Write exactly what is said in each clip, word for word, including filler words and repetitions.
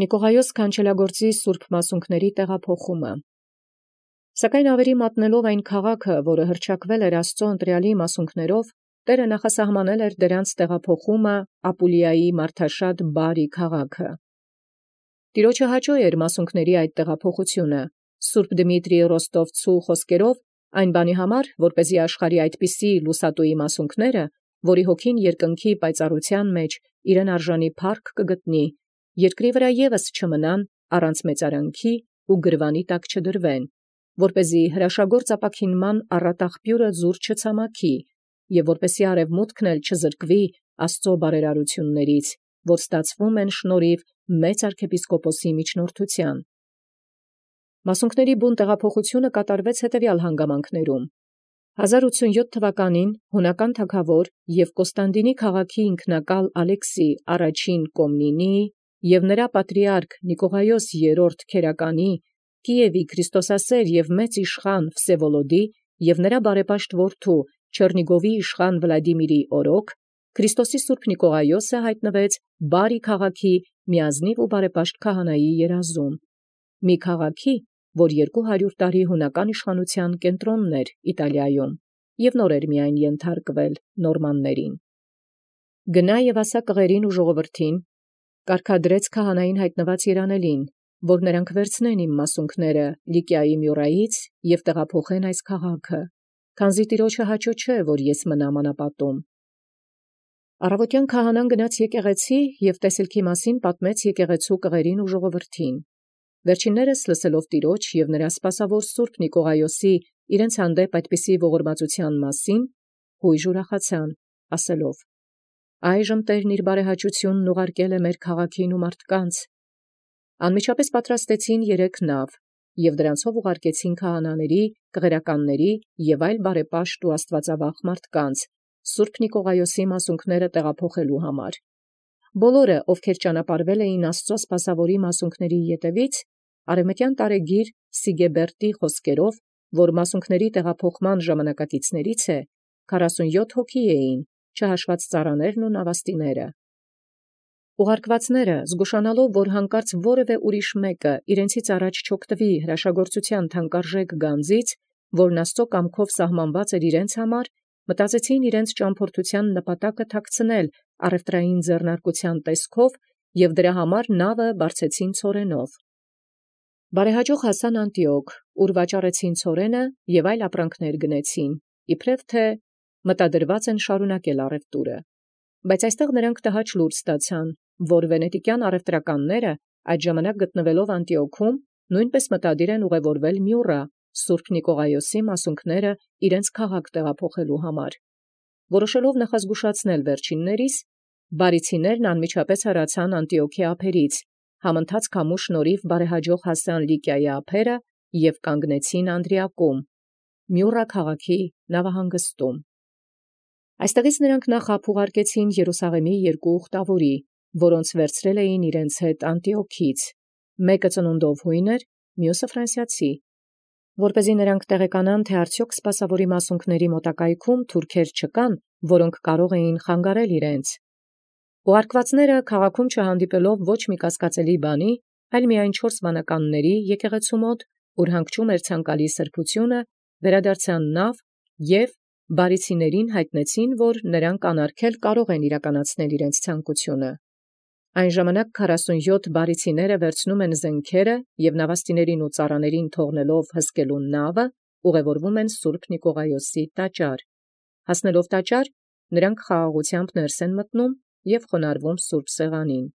Նիկողայոս քանչելագործի սուրբ մասունքների տեղափոխումը։ Սակայն ավերի մատնելով այն քաղաքը, որը հռչակվել էր Աստծո ընտրյալի մասունքներով, Տէրը նախասահմանել էր դրանց տեղափոխումը Ապուլիայի մարդաշատ բարի քաղաքը։ Տիրոջը հաճոյ էր մասունքների այդ տեղափոխությունը, Սուրբ Դմիտրի Ռոստովցու խոսքերով, այն բանի համար, որպեսզի աշխարհի այդպիսի լուսատուի մասունքները, որի հոգին երկնքի պայծառության մեջ իրեն արժանի փառք կգտնի, երկրի վրա ևս չմնան առանց մեծարանքի ու գրվանի տակ չդրվեն, որպեսզի հրաշագործ ապաքինման առատաղբյուրը զուր չցամաքի, և որպեսզի արևմուտքն էլ չզրկվի Աստծո բարերարություններից, որ ստացվում են շնորհիվ մեծ arczepiskoposi միջնորդության։ Մասունքների բուն տեղափոխությունը կատարվեց հետևյալ հանգամանքներում. հազար ութսունյոթ թվականին հունական թագավոր և Կոստանդինի քաղաքի ինքնակալ Ալեքսի առաջին Կոմնինիի և նրա պատրիարք Նիկողայոս երրորդ քերականի, Կիևի Քրիստոսասեր և մեծ իշխան Վսևոլոդի և նրա բարեպաշտ որդու Չեռնիգովի իշխան Վլադիմիրի օրոք, Քրիստոսի սուրբ Նիկողայոսը հայտնվեց բարի քաղաքի միազնիվ ու բարեպաշտ քահանայի երազում, մի քաղաքի, որ երկու հարյուր տարի հունական իշխանության կենտրոնն էր Իտալիայում, և նոր էր միայն ենթարկվել նորմաններին։ Գնա և ասա կղերին ու ժողովրդին, կարգադրեց քահանային հայտնված երանելին, որ նրանք վերցնեն իմ մասունքները Լիկիայի Մյուրայից և տեղափոխեն այս քաղաքը, քանզի Տիրոջը հաճո չէ, որ ես մնամ անապատում։ Առավոտյան քահանան գնաց եկեղեցի և տեսիլքի մասին պատմեց եկեղեցու կղերին ու ժողովրդին։ Վերջիններս լսելով Տիրոջ և նրա սպասավոր սուրբ Նիկողայոսի իրենց հանդեպ այդպիսի ողորմածության մասին, հույժ ուրախացան, ասելով. «Այժմ Տերն իր բարեհաճությունն ուղարկել է մեր քաղաքին ու մարդկանց»։ Անմիջապես պատրաստեցին երեք նավ, և դրանցով ուղարկեցին քահանաների, կղերականների և այլ բարեպաշտ ու աստվածավախ մարդկանց, սուրբ Նիկողայոսի մասունքները տեղափոխելու համար։ Բոլորը, ովքեր ճանապարհվել էին Աստծո սպասավորի մասունքների ետևից, արևմտյան տարեգիր Սիգեբերտի խոսքերով, որ մասունքների տեղափոխման ժամանակակիցներից է, քառասունյոթ հոգի էին, չհաշված ծառաներն ու նավաստիները։ Ուղարկվածները, զգուշանալով, որ հանկարծ որևէ ուրիշ մեկը իրենցից առաջ չօգտվի հրաշագործության թանկարժեք գանձից, որն Աստծո կամքով սահմանված էր իրենց համար, մտածեցին իրենց ճամփորդության նպատակը թաքցնել առևտրային ձեռնարկության տեսքով և դրա համար նավը բարձեցին ցորենով։ Բարեհաջող հասան Անտիոք, ուր վաճառեցին ցորենը և այլ ապրանքներ գնեցին, իբրև թե մտադրված են շարունակել առևտուրը։ Բայց այստեղ նրանք տհաճ լուր ստացան, որ վենետիկյան առևտրականները այդ ժամանակ գտնվելով Անտիոքում նույնպես մտադիր են ուղևորվել Մյուրա, սուրբ Նիկողայոսի մասունքները իրենց քաղաք տեղափոխելու համար։ Որոշելով նախազգուշացնել վերջիններիս, բարիցիներն անմիջապես հեռացան Անտիոքի ափերից, համընթաց քամու շնորհիվ բարեհաջող հասան Լիկիայի ափերը և կանգնեցին Անդրիակում, Մյուրա քաղաքի նավահանգստում։ Այստեղից նրանք նախ ափ ուղարկեցին Երուսաղեմի երկու ուխտավորի, որոնց վերցրել էին իրենց հետ Անտիոքից, մեկը ծնունդով հույն էր, մյուսը ֆրանսիացի, որպեսզի նրանք տեղեկանան, թե արդյոք սպասավորի մասունքների մոտակայքում թուրքեր չկան, որոնք կարող էին խանգարել իրենց։ Ուղարկվածները քաղաքում չհանդիպելով ոչ մի կասկածելի բանի, այլ միայն չորս վանականների եկեղեցու մոտ, ուր հանգչում էր ցանկալի սրբությունը, վերադարձան նավ և բարիցիներին հայտնեցին, որ նրանք անարգել կարող են իրականացնել իրենց ցանկությունը։ Այն ժամանակ քառասունյոթ բարիցիները վերցնում են զենքերը և նավաստիներին ու ծառաներին թողնելով հսկելու նավը, ուղևորվում են սուրբ Նիկողայոսի տաճար։ Հասնելով տաճար, նրանք խաղաղությամբ ներս են մտնում և խոնարհվում սուրբ սեղանին։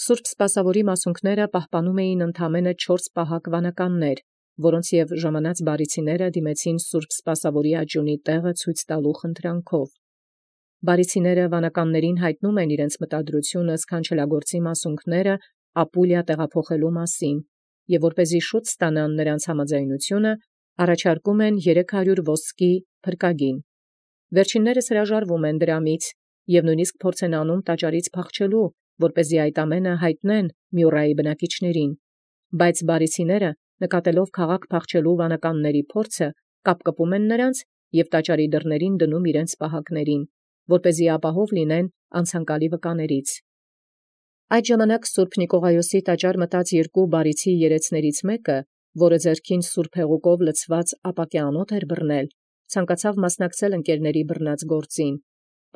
Սուրբ սպասավորի մասունքները պահպանում էին ընդամենը չորս պահակ վանականներ, որոնց և ժամանած բարիցիները դիմեցին սուրբ սպասավորի աճյունի տեղը ցույց տալու խնդրանքով։ Բարիցիները վանականներին հայտնում են իրենց մտադրությունը սքանչելագործի մասունքները Ապուլիա տեղափոխելու մասին, և որպեսզի շուտ ստանան նրանց համաձայնությունը, առաջարկում են երեք հարյուր ոսկի փրկագին։ Վերջիններս հրաժարվում են դրամից և նույնիսկ փորձ են անում տաճարից փախչելու, որպեսզի այդ ամենը հայտնեն Մյուրայի բնակիչներին, բայց բարիցիները, նկատելով քաղաք փախչելու վանականների փորձը, կապկպում են նրանց և տաճարի դռներին դնում իրենց պահակներին, որպեսզի ապահով լինեն անցանկալի վկաներից։ Այդ ժամանակ Սուրբ Նիկողայոսի տաճար մտած երկու բարիցի երեցներից մեկը, որը ձեռքին Սուրբ Հեղուկով լցված ապակե անոթ էր բռնել, ցանկացավ մասնակցել ընկերների բռնած գործին,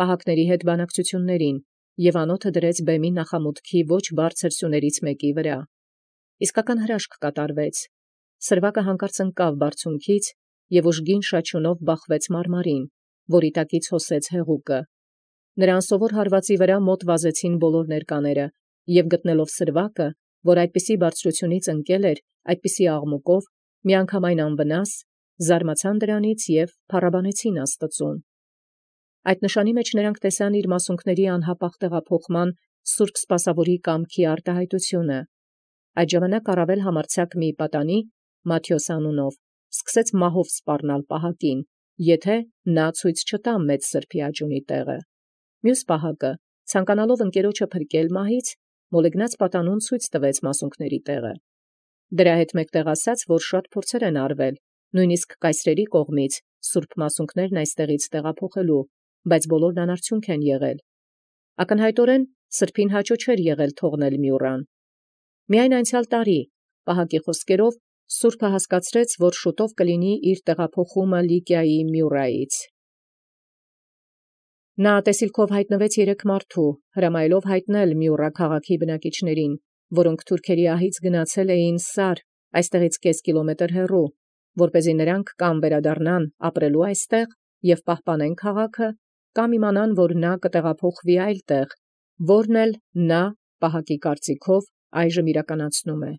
պահակների հետ բանակցություններին, եւ անոթը դրեց բեմի նախամուտքի ոչ բարձր սյուներից մեկի վրա։ Իսկական հրաշք կատարվեց։ Սրվակը հանկարծ ընկավ բարձունքից եւ ուժգին շաչյունով բախվեց մարմարին, որի տակից հոսեց հեղուկը։ Նրան սովոր հարվածի վրա մոտ վազեցին բոլոր ներկաները, եւ գտնելով սրվակը, որ այդպիսի բարձրությունից ընկել էր, այդպիսի աղմուկով, միանգամայն անվնաս, զարմացան դրանից եւ փառաբանեցին Աստծուն։ Այդ նշանի մեջ նրանք տեսան իր մասունքների անհապաղ տեղափոխման Սուրբ Սպասավորի կամքի արտահայտությունը։ Այդ ժամանակ առավել համարձակ մի պատանի, Մատթեոս անունով, սկսեց մահով սպառնալ պահակին, եթե նա ցույց չտա մեծ սրբի աճունի տեղը։ Մյուս պահակը, ցանկանալով ընկերոջը փրկել մահից, մոլեգնած պատանուն ցույց տվեց մասունքների տեղը։ Դրա հետ մեկտեղ ասաց, որ շատ փորձեր են արվել, նույնիսկ կայսրերի կողմից սուրբ մասունքներն այստեղից տեղափոխելու, բայց բոլորն անարդյունք են եղել։ Ակնհայտորեն սրբին հաճո չէր եղել թողնել Մյուռան։ Միայն անցյալ տարի, պահակի խոսքերով, Սուրբը հասկացրեց, որ շուտով կլինի իր տեղափոխումը Լիկիայի Մյուռայից։ Նա տեսիլքով հայտնվեց երեք մարդու, հրամայելով հայտնել Մյուռա քաղաքի բնակիչներին, որոնք թուրքերի ահից գնացել էին Սար, այստեղից կես կիլոմետր հեռու, որպեսզի նրանք կամ վերադառնան ապրելու այստեղ եւ պահպանեն քաղաքը, կամ իմանան, որ նա կտեղափոխվի այլ տեղ, որն էլ նա պահակի կարծիքով այժմ իրականացնում է։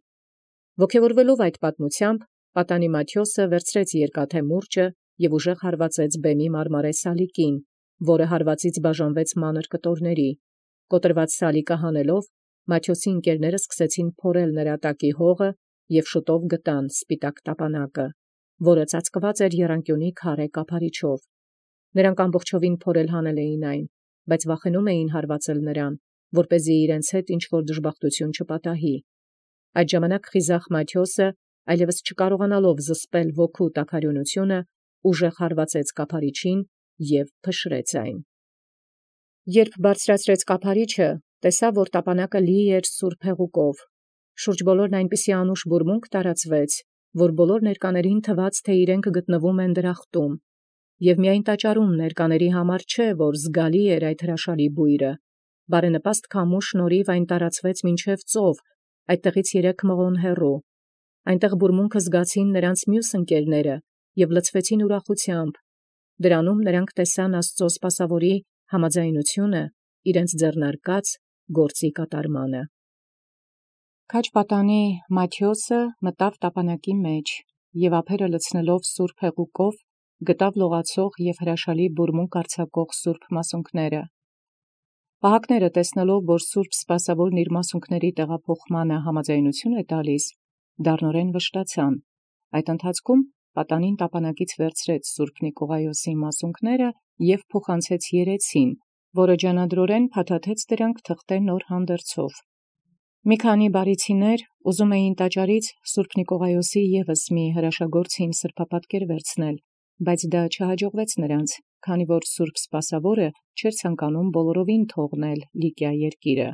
Ոգևորվելով այդ պատմությամբ, պատանի Մատթեոսը վերցրեց երկաթե մուրճը եւ ուժեղ հարվածեց բեմի մարմարե սալիկին, որը հարվածից բաժանվեց մանր կտորների։ Կոտրված սալիկը հանելով, Մատթեոսի ընկերները սկսեցին փորել նրա տակի հողը եւ շուտով գտան սպիտակ տապանակը, որը ծածկված էր եռանկյունի քարե կափարիչով։ Նրանք ամբողջովին փորել հանել էին այն, բայց վախենում էին հարվածել նրան, որպեսզի իրենց հետ ինչ որ դժբախտություն չպատահի։ Այդ ժամանակ խիզախ Մատթեոսը, այլևս չկարողանալով զսպել ոգու տաքարյունությունը, ուժեղ հարվածեց կափարիչին եւ փշրեց այն։ Երբ բարձրացրեց կափարիչը, տեսավ, որ տապանակը լի էր սուրբ հեղուկով։ Շուրջ բոլորն այնպիսի անուշ բուրմունք տարածվեց, որ բոլոր ներկաներին թվաց, թե իրենք գտնվում են դրախտում, եւ միայն տաճարում ներկաների համար չէ, որ զգալի էր այդ հրաշալի բույրը։ Բարենպաստ քամու շնորհիվ այն տարածվեց մինչև ծով, այդտեղից երեք մղոն հեռու։ Այնտեղ բուրմունքը զգացին նրանց մյուս ընկերները եւ լցվեցին ուրախությամբ։ Դրանում նրանք տեսան Աստծո սպասավորի համաձայնությունը իրենց ձեռնարկած գործի կատարմանը։ Քաջ պատանի Մատթեոսը մտավ տապանակի մեջ եւ ափերը լցնելով սուրբ հեղուկով գտավ լողացող եւ հրաշալի բուրմունք արձակող սուրբ մասունքները։ Պահակները տեսնելով, որ Սուրբ Սպասավորն իր մասունքների տեղափոխմանը համաձայնություն է տալիս, դառնորեն վշտացան։ Այդ ընթացքում պատանին տապանակից վերցրեց Սուրբ Նիկողայոսի մասունքները եւ փոխանցեց երեցին, որը ջանադրորեն փաթաթեց դրանք թղթե նոր հանդերձով։ Մի քանի բարիցիներ ուզում էին տաճարից Սուրբ Նիկողայոսի եւս մի հրաշագործին սրբապատկեր վերցնել, բայց դա չհաջողվեց նրանց, քանի որ Սուրբ Սպասավորը չէր ցանկանում բոլորովին թողնել Լիկիա երկիրը։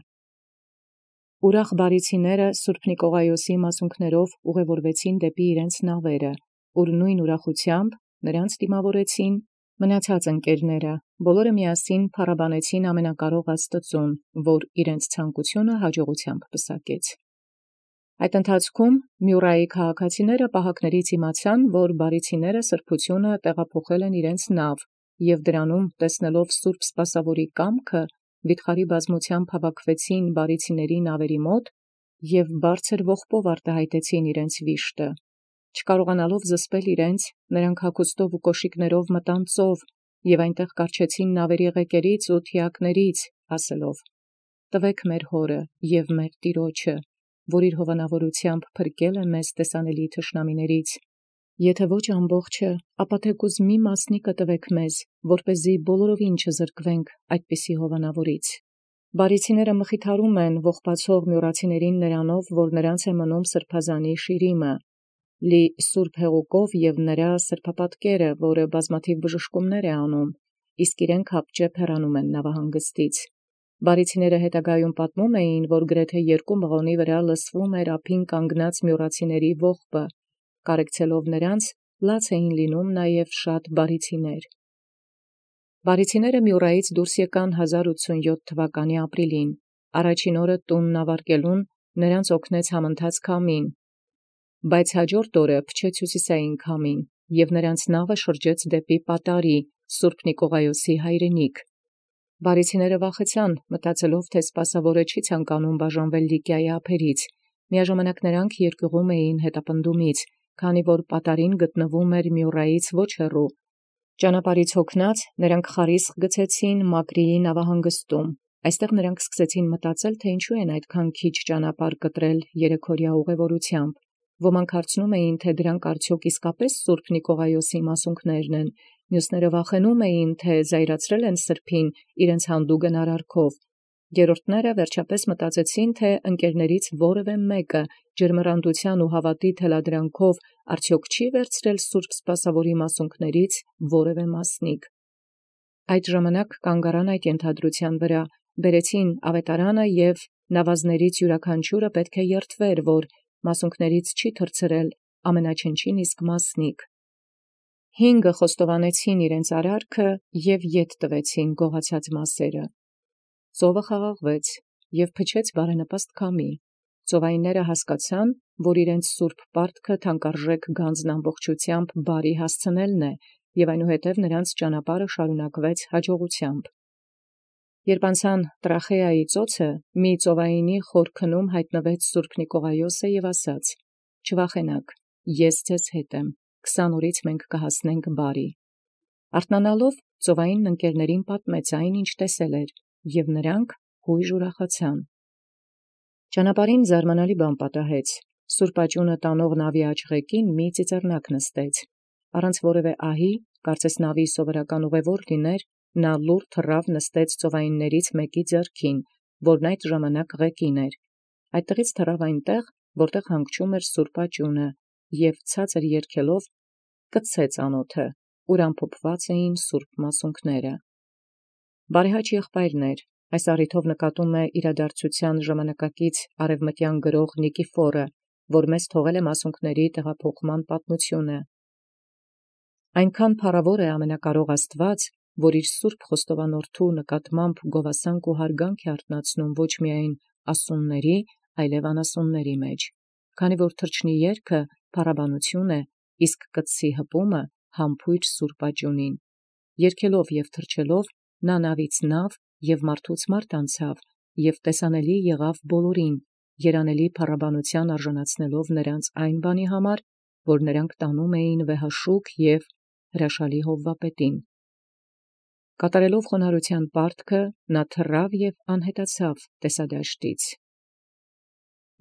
Ուրախ բարիցիները Սուրբ Նիկողայոսի մասունքներով ուղևորվեցին դեպի իրենց նավերը, ուր նույն ուրախությամբ նրանց դիմավորեցին մնացած ընկերները, բոլորը միասին փառաբանեցին ամենակարող Աստծուն, որ իրենց ցանկությունը հաջողությամբ պսակեց։ Այդ ընթացքում Մյուռայի քաղաքացիները պահակներից իմացան, որ բարիցիները սրբությունը տեղափոխել են իրենց նավ, եւ դրանում տեսնելով Սուրբ Սպասավորի կամքը, վիթխարի բազմությամբ հավաքվեցին բարիցիների նավերի մոտ եւ բարձր ողբով արտահայտեցին իրենց վիշտը։ Չկարողանալով զսպել իրենց, նրանք հագուստով ու կոշիկներով մտան ծով եւ այնտեղ կառչեցին նավերի ղեկերից ու թիակներից, ասելով. «Տվեք մեր հորը եւ մեր Տիրոջը, որ իր հովանավորությամբ փրկել է մեզ տեսանելի թշնամիներից։ Եթե ոչ ամբողջը, ապա թեկուզ մի մասնիկը տվեք մեզ, որպեսզի բոլորովին չզրկվենք այդպիսի հովանավորից»։ Բարիցիները մխիթարում են ողբացող մյուռացիներին նրանով, որ նրանց է մնում սրբազանի շիրիմը, լի սուրբ հեղուկով եւ նրա սրբապատկերը, որը բազմաթիվ բժշկումներ է անում, իսկ իրենք հապճեպ հեռանում են նավահանգստից։ Բարիցիները հետագայում պատմում էին, որ գրեթե երկու մղոնի վրա լսվում էր ափին կանգնած մյուրացիների ողբը, կարեկցելով նրանց, լաց էին լինում նաև շատ բարիցիներ։ Բարիցիները Մյուրայից դուրս եկան հազար ութսունյոթ թվականի ապրիլին, առաջին օրը տունն ավարտելուն նրանց օգնեց համընթաց քամին, բայց հաջորդ օրը փչեց հյուսիսային քամին, և նրանց նավը շրջեց դեպի Պատարի, Սուրբ Նիկողայոսի հայրենիք։ Բարիցիները վախեցան, մտածելով, թե սպասավորը չի ցանկանում բաժանվել Լիկիայի ափերից, միաժամանակ նրանք երկյուղում էին հետապնդումից, քանի որ Պատարին գտնվում էր Մյուրայից ոչ հեռու։ Ճանապարհից հոգնած, նրանք խարիսխ գցեցին Մակրիի նավահանգստում։ Այստեղ նրանք սկսեցին մտածել, թե ինչու են այդքան քիչ ճանապարհ կտրել երեքօրյա ուղևորությամբ։ Ոմանք հարցնում էին, թե դրանք արդյոք իսկապես Սուրբ Նիկողայոսի մասունքներն են, մյուսները վախենում էին, թե զայրացրել են սրբին իրենց հանդուգն արարքով։ Գերորդները վերջապես մտածեցին, թե ընկերներից որևէ մեկը ջերմռանդության ու հավատի թելադրանքով արդյոք չի վերցրել Սուրբ Սպասավորի մասունքներից որևէ մասնիկ։ Այդ ժամանակ կանգ առան այդ ենթադրության վրա, բերեցին ավետարանը և նավազներից յուրաքանչյուրը պետք է երդվեր, որ մասունքներից չի թռցրել ամենաչնչին իսկ մասնիկ։ Հինգը խոստովանեցին իրենց արարքը և ետ տվեցին գողացած մասերը։ Ծովը խաղաղվեց և փչեց բարենպաստ քամի։ Ծովայինները հասկացան, որ իրենց սուրբ պարտքը թանկարժեք գանձն ամբողջությամբ բարի հասցնելն է, և այնուհետև նրանց ճանապարհը շարունակվեց հաջողությամբ։ Երբ անցան Տրախեայի ծոցը, մի ծովայինի խորքնում հայտնվեց Սուրբ Նիկողայոսը և ասաց. «Չվախենաք, ես ձեզ հետ եմ, քսան օրից մենք կհասնենք բարի»։ Արթնանալով ծովային ընկերներին պատմեց այն, ինչ տեսել էր, և նրանք հույժ ուրախացան։ Ճանապարհին զարմանալի բան պատահեց. Սուրբ աճունը տանող նավի աջ-ղեկին մի ծիծեռնակ նստեց։ Առանց որևէ ահի, կարծես նավի սովորական ուղևոր լիներ, նա լուռ թռավ նստեց ծովայիններից մեկի ձեռքին, որն այդ ժամանակ ղեկին էր։ Այդտեղից թռավ այնտեղ, որտեղ հանգչում էր սուրբ աճունը, և ցածր երգելով կցեց անոթը, ուր ամփոփված էին սուրբ մասունքները։ Բարեհաճ եղբայրն էր, այս առիթով նկատում է իրադարձության ժամանակակից արևմտյան գրող Նիկիֆորը, որ մեզ թողել է մասունքների տեղափոխման պատմությունը։ Այնքան փառավոր է ամենակարող Աստված, որ իր սուրբ խոստովանորդու նկատմամբ գովասանք ու հարգանք է արթնացնում ոչ միայն ասունների, այլև անասունների մեջ, քանի որ թրջնի երգը փառաբանություն է, իսկ կտսի հպումը համբույր սուրբ աճունին։ Երգելով և թրջելով նա նավից նավ և մարդուց մարդ անցավ, և տեսանելի եղավ բոլորին, երանելի փառաբանության արժանացնելով նրանց այն բանի համար, որ նրանք տանում էին վեհաշուք և հրաշալի հովվապետին։ Կատարելով խոնարհության պարտքը, նա թռավ և անհետացավ տեսադաշտից։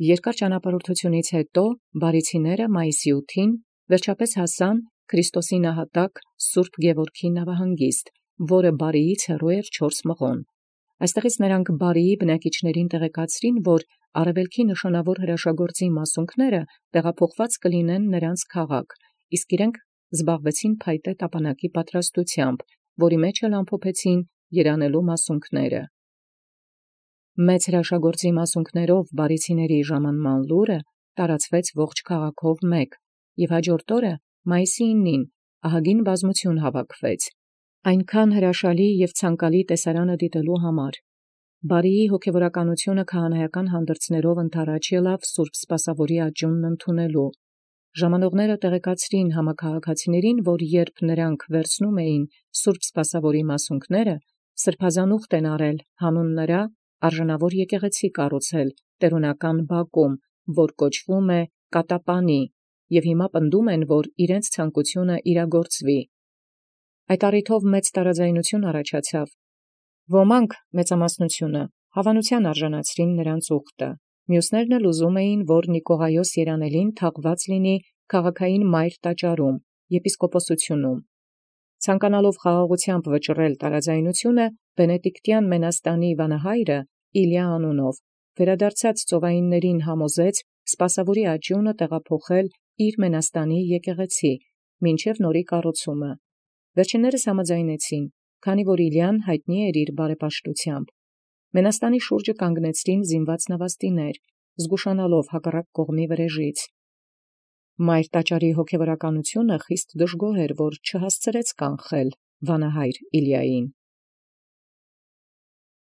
Երկար ճանապարհորդությունից հետո բարիցիները մայիսի ութին վերջապես հասան Քրիստոսի նահատակ Սուրբ Գևորգի նավահանգիստ, որը Բարիից հեռու էր չորս մղոն։ Այստեղից նրանք Բարիի բնակիչներին տեղեկացրին, որ արևելքի նշանավոր հրաշագործի մասունքները տեղափոխված կլինեն նրանց քաղաք, իսկ իրենք զբաղվեցին փայտե տապանակի պատրաստությամբ, որի մեջ էլ ամփոփեցին երանելու մասունքները։ Մեծ հրաշագործի մասունքներով բարիցիների ժամանման լուրը տարածվեց ողջ քաղաքով մեկ, և հաջորդ օրը մայիսի իննին ահագին բազմություն հավաքվեց, այնքան հրաշալի և ցանկալի տեսարանը դիտելու համար։ Բարիի հոգևորականությունը քահանայական հանդրձներով ընդառաջ ելավ Սուրբ Սպասավորի աճունն ընդունելու։ Ժամանողները տեղեկացրին համաքաղաքացիներին, որ երբ նրանք վերցնում էին Սուրբ Սպասավորի մասունքները, սրբազանուխտ են արել հանուն նրա արժանավոր եկեղեցի կառուցել տերունական բակում, որ կոչվում է Կատապանի, և հիմա պնդում են, որ իրենց ցանկությունը իրագործվի։ Այդ առիթով մեծ տարաձայնություն առաջացավ։ Ոմանք մեծամասնությունը հավանության արժանացրին նրանց ուխտը, մյուսներն էլ ուզում էին, որ Նիկողայոս երանելին թաղված լինի քաղաքային մայր տաճարում, եպիսկոպոսությունում։ Ցանկանալով խաղաղությամբ վճռել տարաձայնությունը, բենեդիկտյան մենաստանի վանահայրը Իլիա անունով վերադարձած ծովայիններին համոզեց Սպասավորի աճյունը տեղափոխել իր մենաստանի եկեղեցի, մինչև նորի կառուցումը։ Վերջիններս համաձայնեցին, քանի որ Իլիան հայտնի էր իր բարեպաշտությամբ։ Մենաստանի շուրջը կանգնեցրին զինուած նավաստիներ, զգուշանալով հակառակ կողմի վրեժից։ Մայր տաճարի հոգևորականությունը խիստ դժգոհ էր, որ չհասցրեց կանխել վանահայր Իլիային։